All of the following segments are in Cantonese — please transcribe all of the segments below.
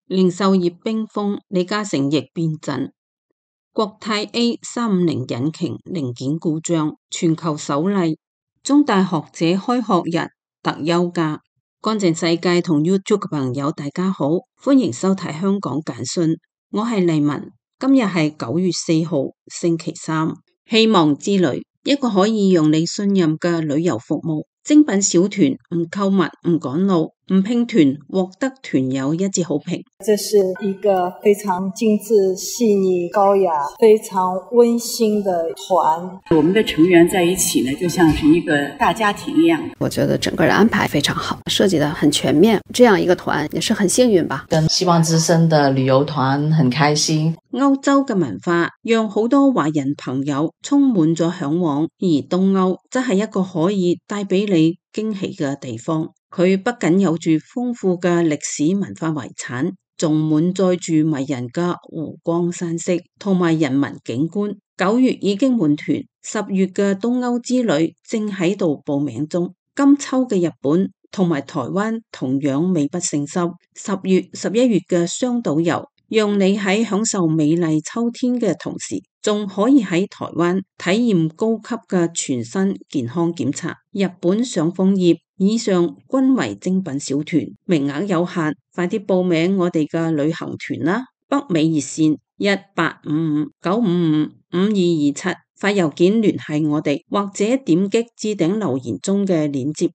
零售業冰封，李嘉誠亦變陣。國泰 A350引擎零件故障，全球首例。中大學者開學日特休假。乾淨世界同 YouTube 嘅朋友大家好，歡迎收睇香港簡訊，我係麗文。今日係9月4號星期三。希望之旅，一個可以讓你信任嘅旅遊服務。精品小團，唔購物，唔趕路，唔拼團，獲得團友一致好評。這是一個非常精緻、細膩、高雅、非常溫馨的團。我們的成員在一起呢，就像是一個大家庭一樣。我覺得整個的安排非常好，設計得很全面。這樣一個團也是很幸運吧。跟希望之聲的旅遊團很開心。歐洲嘅文化讓好多華人朋友充滿咗向往，而東歐則係一個可以帶俾你驚喜嘅地方。佢不僅有住豐富嘅歷史文化遺產，仲滿載住迷人嘅湖光山色同埋人文景觀。9月已經滿團，10月嘅東歐之旅正喺度報名中。今秋嘅日本同埋台灣同樣美不勝收。10月、11月嘅雙島遊，讓你喺享受美麗秋天嘅同時，仲可以喺台灣體驗高級嘅全身健康檢查。日本上楓葉以上均為精品小團，名額有限，快啲報名我哋嘅旅行團啦！北美熱線1855-955-5227，發郵件聯繫我哋，或者點擊置頂留言中嘅鏈接。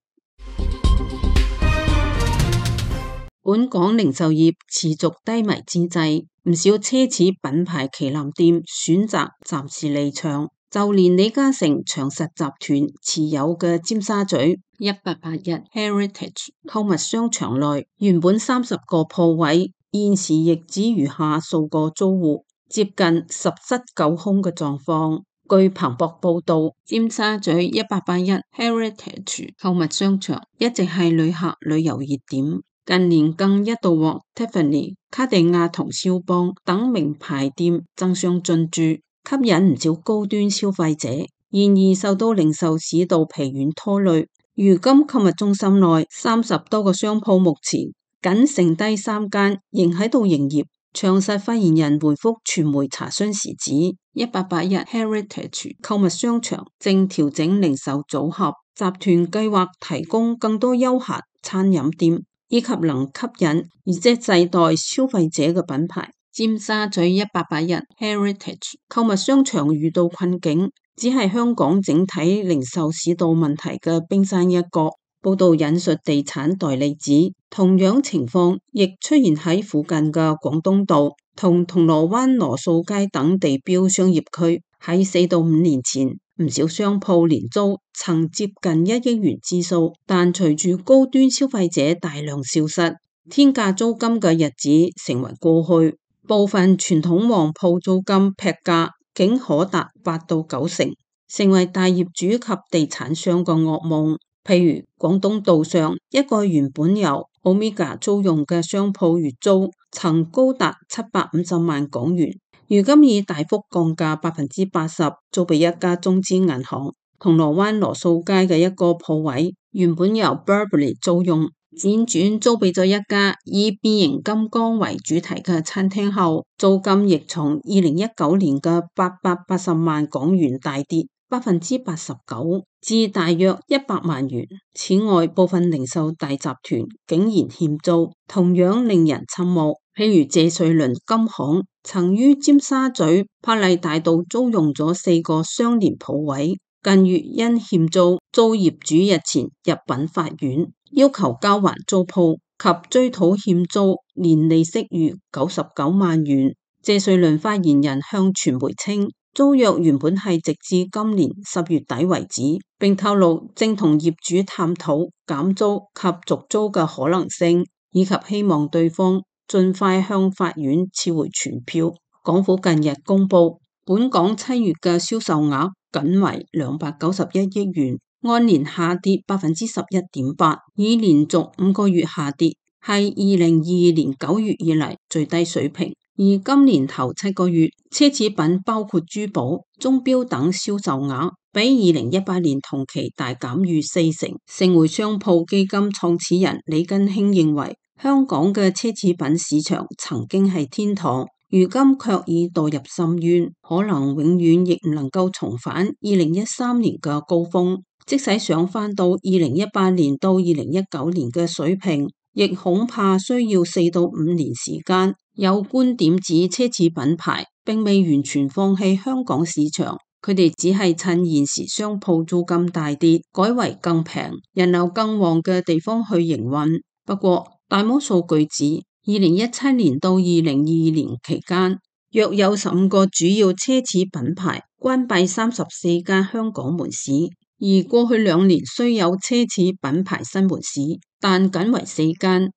本港零售業持續低迷之際，唔少奢侈品牌旗艦店選擇暫時離場，就連李嘉誠長實集團持有嘅尖沙咀188Heritage 購物商場內，原本30個鋪位，現時亦只餘下數個租戶，接近10室9空嘅狀況。據彭博報道，尖沙咀188 Heritage 購物商場一直係旅客旅遊熱點。近年更一度獲 Tiffany、卡地亞同蕭邦等名牌店爭相進駐，吸引唔少高端消費者。然而受到零售市道疲軟拖累，如今購物中心內30多個商鋪目前僅剩低3間仍喺度營業。長實發言人回覆傳媒查詢時指，188 Heritage 購物商場正調整零售組合，集團計劃提供更多休閒餐飲店，以及能吸引而且世代消費者嘅品牌。尖沙咀188 Heritage 購物商場遇到困境，只係香港整體零售市道問題嘅冰山一角。報道引述地產代理指，同樣情況亦出現喺附近嘅廣東道同銅鑼灣羅素街等地標商業區。喺4到5年前，唔少商鋪年租曾接近1億元之數，但隨住高端消費者大量消失，天價租金嘅日子成為過去。部分傳統旺鋪租金劈價竟可達8到9成，成為大業主及地產商嘅噩夢。譬如廣東道上一個原本由 Omega 租用嘅商鋪，月租曾高達750萬港元，如今已大幅降價80%，租俾一家中資銀行。銅鑼灣羅素街嘅一個鋪位，原本由 Burberry 租用，輾轉租俾咗一家以變形金剛為主題嘅餐廳後，租金亦從2019年嘅880萬港元大跌89%至大約100萬元。此外，部分零售大集團竟然欠租，同樣令人瞠目。譬如謝瑞麟金行曾於尖沙咀柏麗大道租用咗4個相連鋪位，近月因欠租，遭業主日前入稟法院，要求交還租鋪及追討欠租，連利息逾99萬元。謝瑞麟發言人向傳媒稱，租約原本係直至今年10月底為止，並透露正同業主探討減租及續租嘅可能性，以及希望對方盡快向法院撤回傳票。港府近日公布，本港7月嘅銷售額僅為291億元，按年下跌11.8%，已連續5個月下跌，係2022年9月以嚟最低水平。而今年頭7個月，奢侈品包括珠寶、鐘錶等銷售額比2018年同期大減逾40%。盛匯商鋪基金創始人李根興認為，香港嘅奢侈品市場曾經係天堂，如今卻已墮入深淵，可能永遠亦唔能夠重返2013年嘅高峰。即使想返到2018年到2019年嘅水平，亦恐怕需要4到5年時間。有觀點指奢侈品牌並未完全放棄香港市場，佢哋只係趁現時商鋪租金大跌，改為更平、人流更旺嘅地方去營運。不過大摩數據指2017年到2022年期間，約有15個主要奢侈品牌關閉34間香港門市，而過去2年雖有奢侈品牌新門市，但僅為4間。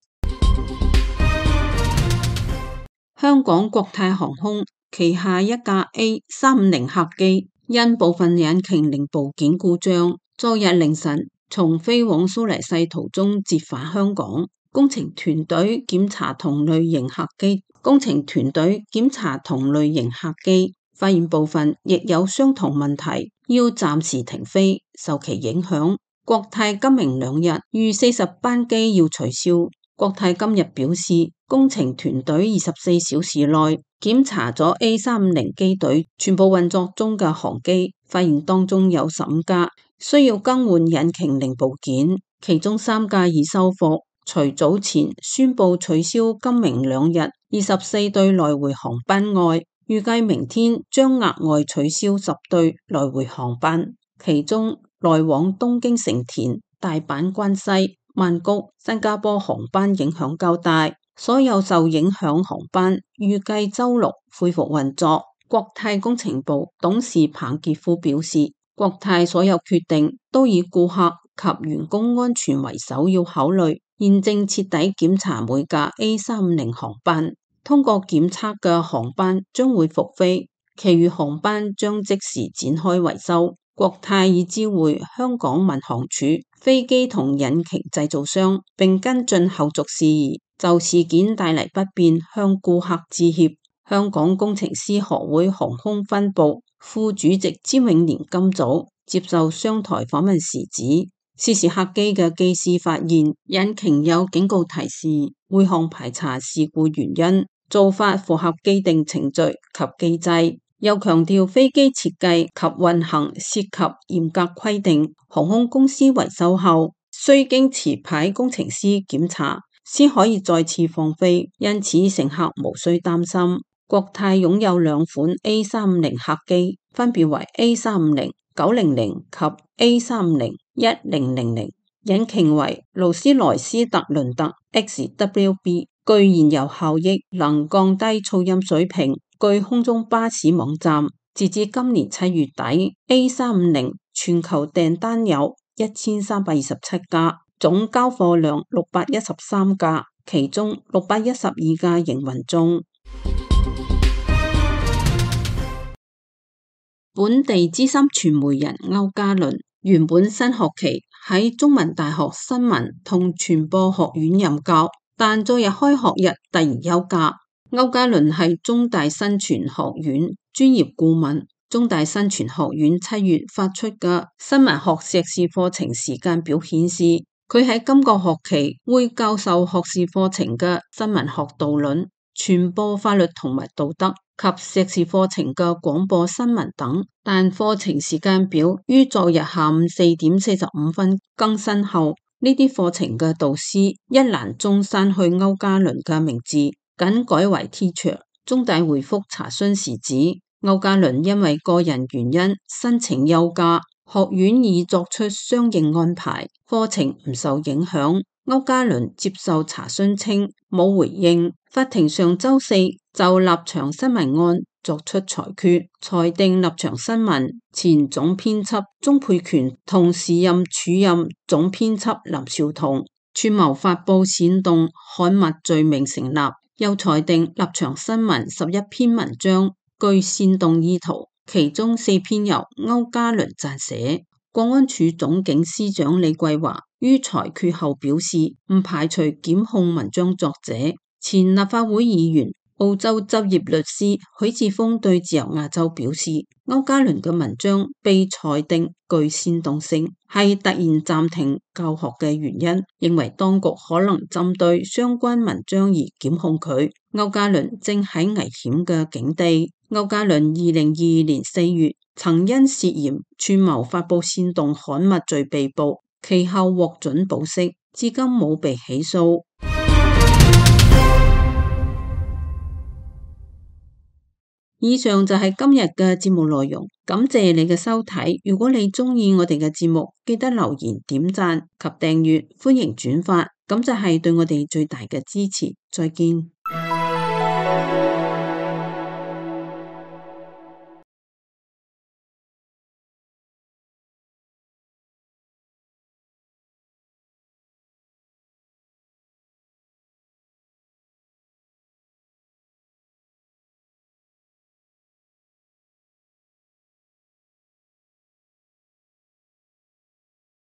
香港國泰航空旗下一架 A350 客機因部分引擎零部件故障，昨日凌晨從飛往蘇黎世途中折返香港。工程團隊檢查同類型客機，發現部分亦有相同問題，要暫時停飛。受其影響，國泰今明2日逾40班機要取消。國泰今日表示，工程團隊24小時內檢查咗 A350 機隊全部運作中嘅航機，發現當中有15架需要更換引擎零部件，其中3架已修復。除早前宣布取消今明2日24對來回航班外，預計明天將額外取消10對來回航班，其中來往東京成田、大阪關西、曼谷、新加坡航班影響較大。所有受影響航班預計週6恢復運作。國泰工程部董事彭傑夫表示，國泰所有決定都以顧客及員工安全為首要考慮，現正徹底檢查每架 A350 航班，通過檢測嘅航班將會復飛，其餘航班將即時展開維修。國泰已知會香港民航處、飛機同引擎製造商，並跟進後續事宜，就事件帶嚟不便向顧客致歉。香港工程師學會航空分部副主席詹永年今早接受商台訪問時指，涉事客機嘅機師發現引擎有警告提示，會航排查事故原因，做法符合既定程序及機制。又強調飛機設計及運行涉及嚴格規定，航空公司維修後需經持牌工程師檢查，先可以再次放飛，因此乘客無需擔心。國泰擁有2款 A350 客機，分別為 A350-900 及 A350-1000，引擎為勞斯萊斯特倫特 XWB， 具燃油效益，能降低噪音水平。據空中巴士網站，截至今年7月底 ，A350 全球訂單有1327架，總交貨量613架，其中612架營運中。本地資深傳媒人歐嘉倫原本新學期喺中文大學新聞同傳播學院任教，但昨日開學日突然休假。歐嘉倫係中大新傳學院專業顧問。中大新傳學院7月發出嘅新聞學碩士課程時間表顯示，佢喺今個學期會教授學士課程嘅新聞學導論、傳播法律同埋道德及碩士課程嘅廣播新聞等，但課程時間表於昨日下午4點45分更新後，呢啲課程嘅導師一欄中刪去歐嘉倫嘅名字，僅改為 teacher。中大回覆查詢時指，歐嘉倫因為個人原因申請休假，學院已作出相應安排，課程唔受影響。歐嘉倫接受查詢稱冇回應。法庭上周四就立場新聞案作出裁決，裁定立場新聞前總編輯鍾沛權同時任署任總編輯林紹桐串謀發布煽動刊物罪名成立，又裁定立場新聞11篇文章具煽動意圖，其中4篇由歐嘉倫撰寫。國安處總警司長李桂華於裁決後表示，唔排除檢控文章作者前立法會議員澳洲執業律師許智峰對自由亞洲表示，區家麟嘅文章被裁定具煽動性，係突然暫停教學嘅原因，認為當局可能針對相關文章而檢控佢。區家麟正喺危險嘅境地。區家麟2022年4月曾因涉嫌串謀發佈煽動刊物罪被捕，其後獲准保釋，至今冇被起訴。以上就係今日嘅節目內容，感謝你嘅收睇。如果你鍾意我哋嘅節目，記得留言、點讚及訂閱，歡迎轉發，咁就係對我哋最大嘅支持。再見。